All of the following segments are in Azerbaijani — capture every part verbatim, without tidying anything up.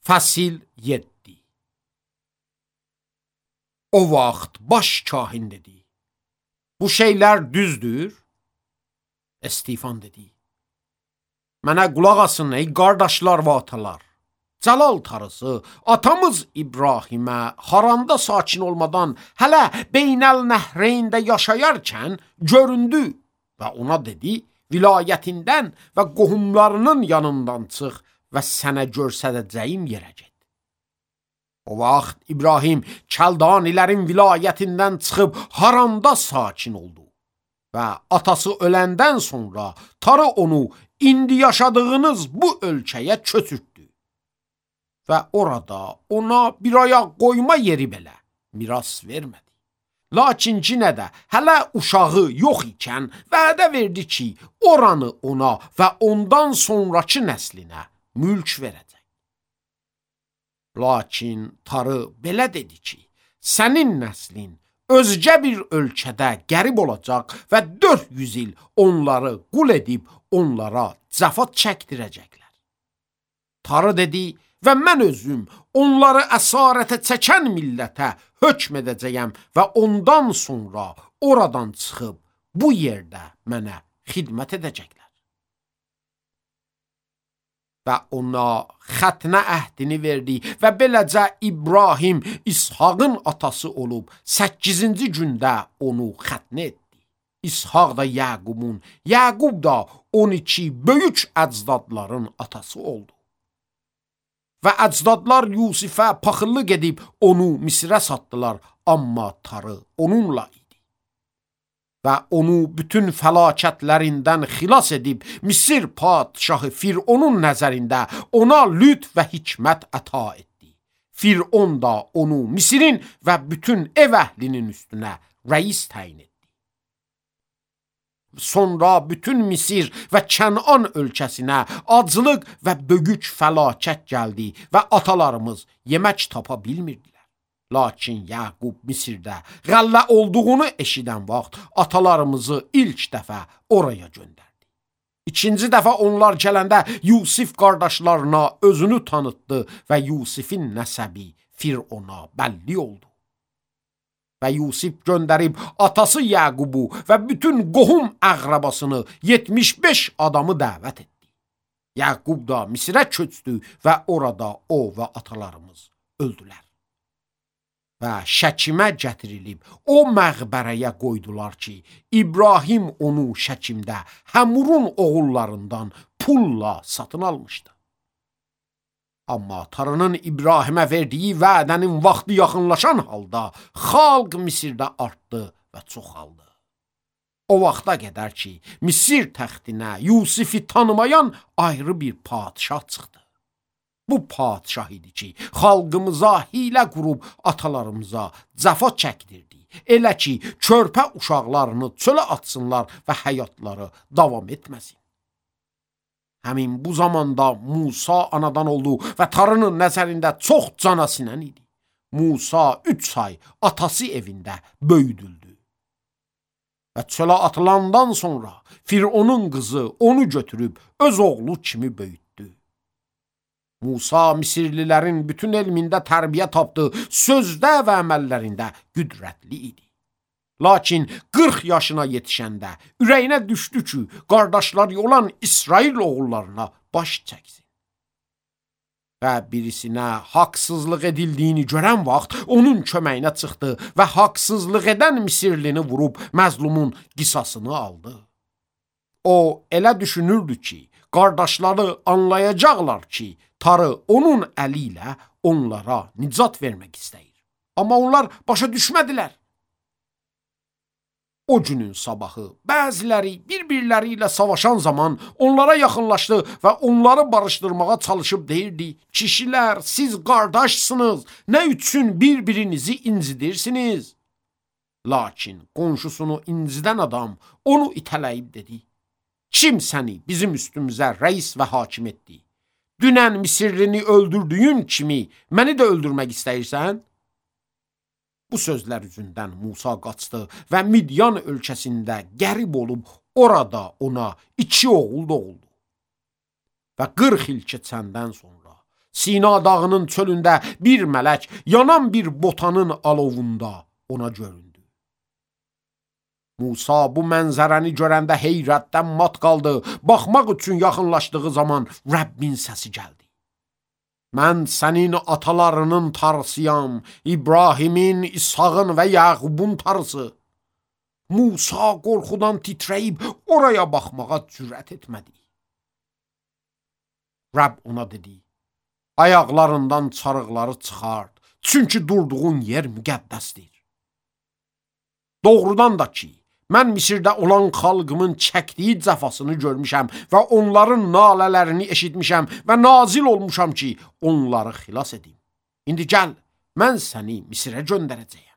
Fəsil yeddi. O vaxt baş kahin dedi: Bu şeylər düzdür? Estifan dedi: Mənə qulaq asın ey qardaşlar və atalar. Cəlal tarısı atamız İbrahimə haranda sakin olmadan hələ Beynəl Nəhreyndə yaşayarkən göründü və ona dedi: Vilayətindən və qohumlarının yanından çıx və sənə görsədəcəyim yerə get. O vaxt İbrahim Kəldanilərin vilayətindən çıxıb Haranda sakin oldu və atası öləndən sonra tarı onu indi yaşadığınız bu ölkəyə köçürtdü və orada ona bir ayaq qoyma yeri belə miras vermədi. Lakin yenə də hələ uşağı yox ikən vədə verdi ki, oranı ona və ondan sonraki nəslinə mülk verəcək. Lakin tarı belə dedi ki, sənin nəslin özgə bir ölkədə qərib olacaq və dörd yüz il onları qul edib onlara cəfat çəkdirəcəklər. Tarı dedi və mən özüm onları əsarətə çəkən millətə hökm edəcəyəm və ondan sonra oradan çıxıb bu yerdə mənə xidmət edəcəklər. Və ona xətnə əhdini verdi və beləcə İbrahim İshaqın atası olub səkkizinci gündə onu xətnə etdi. İshaq da Yaqubun, Yaqub da on iki böyük əcdadların atası oldu. Və əcdadlar Yusifə paxıllıq edib onu Misrə satdılar, amma tarı onunla idi. Və onu bütün fəlakətlərindən xilas edib Misir padşahı Fironun nəzərində ona lüt və hikmət əta etdi. Firon da onu Misirin və bütün ev əhlinin üstünə rəis təyin etdi. Sonra bütün Misir və Kənan ölkəsinə aclıq və böyük fəlakət gəldi və atalarımız yemək tapa bilmirdilər. Lakin Yaqub Misirdə qəllə olduğunu eşidən vaxt atalarımızı ilk dəfə oraya göndərdi. İkinci dəfə onlar gələndə Yusif qardaşlarına özünü tanıtdı və Yusifin nəsəbi Firona bəlli oldu. Və Yusif göndərib atası Yaqubu və bütün qohum əqrəbasını yetmiş beş adamı dəvət etdi. Yaqub da Misirə köçdü və orada o və atalarımız öldülər. Və Şəkimə gətirilib o məqbərəyə qoydular ki, İbrahim onu Şəkimdə Həmurun oğullarından pulla satın almışdı. Amma tarının İbrahimə verdiyi vədənin vaxtı yaxınlaşan halda xalq Misirdə artdı və çoxaldı. O vaxta qədər ki, Misir təxtinə Yusifi tanımayan ayrı bir padşah çıxdı. Bu padşah idi ki, xalqımıza hilə qurub atalarımıza cəfa çəkdirdi. Elə ki, körpə uşaqlarını çölə atsınlar və həyatları davam etməsin. Həmin bu zamanda Musa anadan oldu və tarının nəzərində çox canasinən idi. Musa üç ay atası evində böyüdüldü. Və çölə atılandan sonra Fironun qızı onu götürüb öz oğlu kimi böyütdü. Musa Misirlilərin bütün elmində tərbiyə tapdı, sözdə və əməllərində qüdrətli idi. Lakin qırx yaşına yetişəndə ürəyinə düşdü ki, qardaşları olan İsrail oğullarına baş çəksin. Və birisinə haqsızlıq edildiyini görən vaxt onun köməyinə çıxdı və haqsızlıq edən Misirlini vurub məzlumun qisasını aldı. O elə düşünürdü ki, qardaşları anlayacaqlar ki, tarı onun əli ilə onlara nicat vermək istəyir. Amma onlar başa düşmədilər. O günün sabahı bəziləri bir-birləri ilə savaşan zaman onlara yaxınlaşdı və onları barışdırmağa çalışıb deyirdi: Kişilər, siz qardaşsınız, nə üçün bir-birinizi incidirsiniz? Lakin qonşusunu incidən adam onu itələyib dedi: Kim səni bizim üstümüzə rəis və hakim etdi? Dünən Misirlini öldürdüyün kimi məni də öldürmək istəyirsən? Bu sözlər üzündən Musa qaçdı və Midyan ölkəsində qərib olub orada ona iki oğul doğuldu. Və qırx il keçəndən sonra Sina dağının çölündə bir mələk yanan bir botanın alovunda ona göründü. Musa bu mənzərəni görəndə heyrətdən mat qaldı. Baxmaq üçün yaxınlaşdığı zaman Rəbbin səsi gəldi. Mən sənin atalarının tarısıyam, İbrahimin, İshağın və Yaqubun tarısı. Musa qorxudan titrəyib oraya baxmağa cürət etmədi. Rəbb ona dedi, ayaqlarından çarıqları çıxart, çünki durduğun yer müqəddəsdir. Doğrudan da ki, mən Misirdə olan xalqımın çəkdiyi cəfasını görmüşəm və onların nalələrini eşitmişəm və nazil olmuşam ki, onları xilas edim. İndi gəl, mən səni Misirə göndərəcəyəm.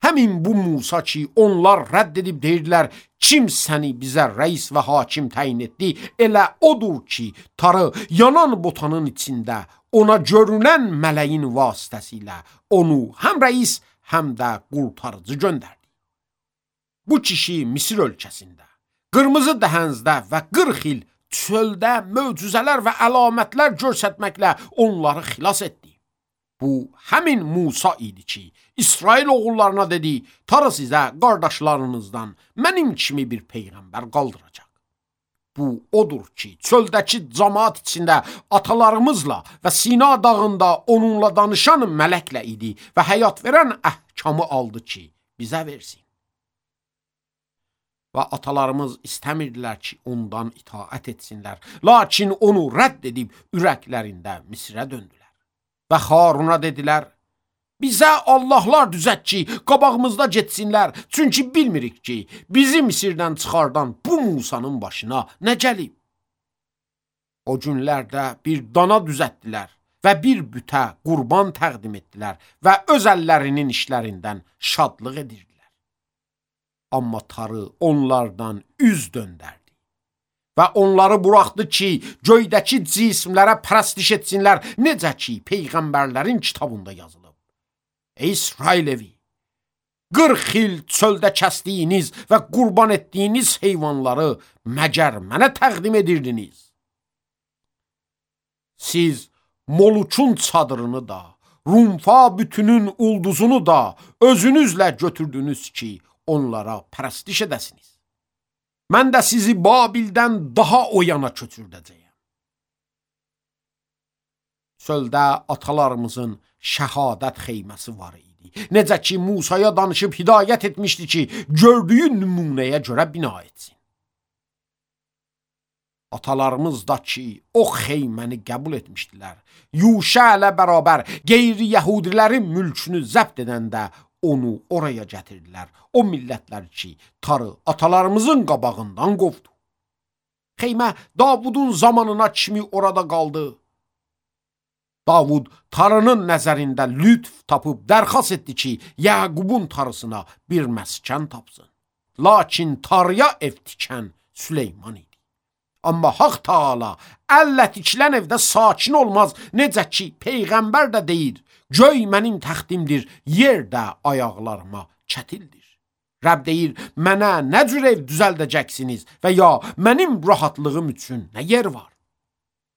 Həmin bu Musa ki, onlar rədd edib deyirdilər, kim səni bizə rəis və hakim təyin etdi, elə odur ki, tarı yanan botanın içində ona görünən mələyin vasitəsilə onu həm rəis, həm də qurtarıcı göndərdi. Bu kişi Misir ölkəsində, qırmızı dəhənzdə və qırx il çöldə möcüzələr və əlamətlər göstərməklə onları xilas etdi. Bu, həmin Musa idi ki, İsrail oğullarına dedi, tarı sizə qardaşlarınızdan mənim kimi bir peyğəmbər qaldıracaq. Bu, odur ki, çöldəki cəmaat içində atalarımızla və Sina dağında onunla danışan mələklə idi və həyat verən əhkamı aldı ki, bizə versin. Və atalarımız istəmirdilər ki, ondan itaət etsinlər, lakin onu rədd edib ürəklərində Misirə döndülər. Və Haruna dedilər, bizə Allahlar düzət ki, qabağımızda getsinlər, çünki bilmirik ki, bizi Misirdən çıxardan bu Musanın başına nə gəlib. O günlərdə bir dana düzətdilər və bir bütə qurban təqdim etdilər və öz əllərinin işlərindən şadlıq edirdilər. Amma tarı onlardan üz döndərdi. Və onları buraxdı ki, göydəki cismlərə pərəstiş etsinlər, necə ki, peyğəmbərlərin kitabında yazılıb. Ey İsrail evi, qırx il çöldə kəsdiyiniz və qurban etdiyiniz heyvanları məgər mənə təqdim edirdiniz. Siz Molukun çadırını da, Rumfa bütünün ulduzunu da özünüzlə götürdünüz ki, onlara pərəstiş edəsiniz. Mən də sizi Babildən daha o yana köçürdəcəyəm. Çöldə atalarımızın şəhadət xeyməsi var idi. Necə ki, Musaya danışıb hidayət etmişdi ki, gördüyü nümunəyə görə bina etsin. Atalarımız da ki, o xeyməni qəbul etmişdilər. Yuşa ilə bərabər qeyri-yəhudilərin mülkünü zəbt edəndə onu oraya gətirdilər. O millətlər ki, tarı atalarımızın qabağından qovdu. Xeymə Davudun zamanına kimi orada qaldı. Davud tarının nəzərində lütf tapıb dərxas etdi ki, Yaqubun tarısına bir məskən tapsın. Lakin tarıya ev tikən Süleyman idi. Amma Haq Taala əllə tikilən evdə sakin olmaz, necə ki, peyğəmbər də deyir, göy mənim təxtimdir, yer də ayaqlarıma çətildir. Rəbb deyir, mənə nə cür ev düzəldəcəksiniz və ya mənim rahatlığım üçün nə yer var?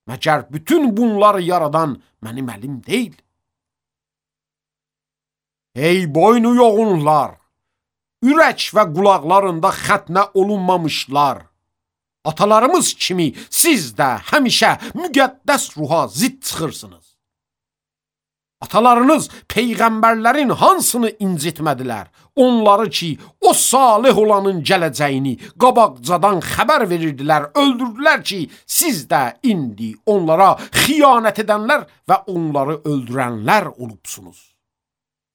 Məgər bütün bunları yaradan mənim əlim deyil. Ey boynu yoğunlar, ürək və qulaqlarında xətnə olunmamışlar. Atalarımız kimi siz də həmişə müqəddəs ruha zidd çıxırsınız. Atalarınız peyğəmbərlərin hansını incitmədilər? Onları ki, o salih olanın gələcəyini qabaqcadan xəbər verirdilər, öldürdülər ki, siz də indi onlara xiyanət edənlər və onları öldürənlər olubsunuz.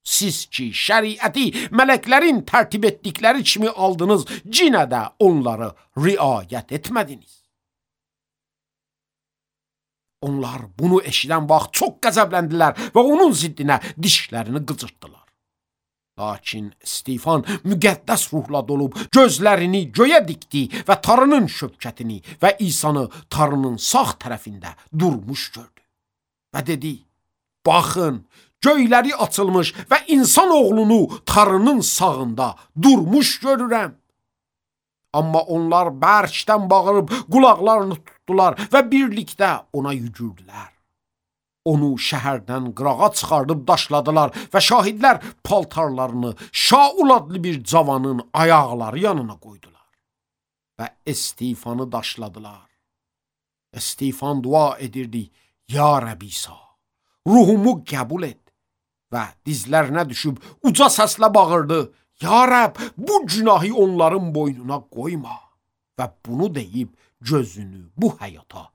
Siz ki, şəriəti mələklərin tərtib etdikləri kimi aldınız, cinə də onları riayət etmədiniz. Onlar bunu eşidən vaxt çox qəzəbləndilər və onun ziddinə dişlərini qıcırtdılar. Lakin Stefan müqəddəs ruhla dolub gözlərini göyə dikdi və tarının şöbkətini və İsanı tarının sağ tərəfində durmuş gördü. Və dedi, baxın, göyləri açılmış və insan oğlunu tarının sağında durmuş görürəm. Amma onlar bərkdən bağırıb qulaqlarını tutdular. tutdular və birlikdə ona yücürdülər. Onu şəhərdən qırağa çıxardıb daşladılar və şahidlər paltarlarını Şaul adlı bir cavanın ayaqları yanına qoydular və Estefanı daşladılar. Estefan dua edirdi: Ya Rəbb İsa, ruhumu qəbul et. Və dizlərinə düşüb uca səslə bağırdı: Ya Rəbb, bu günahı onların boynuna qoyma. Və bunu deyib gözünü bu həyata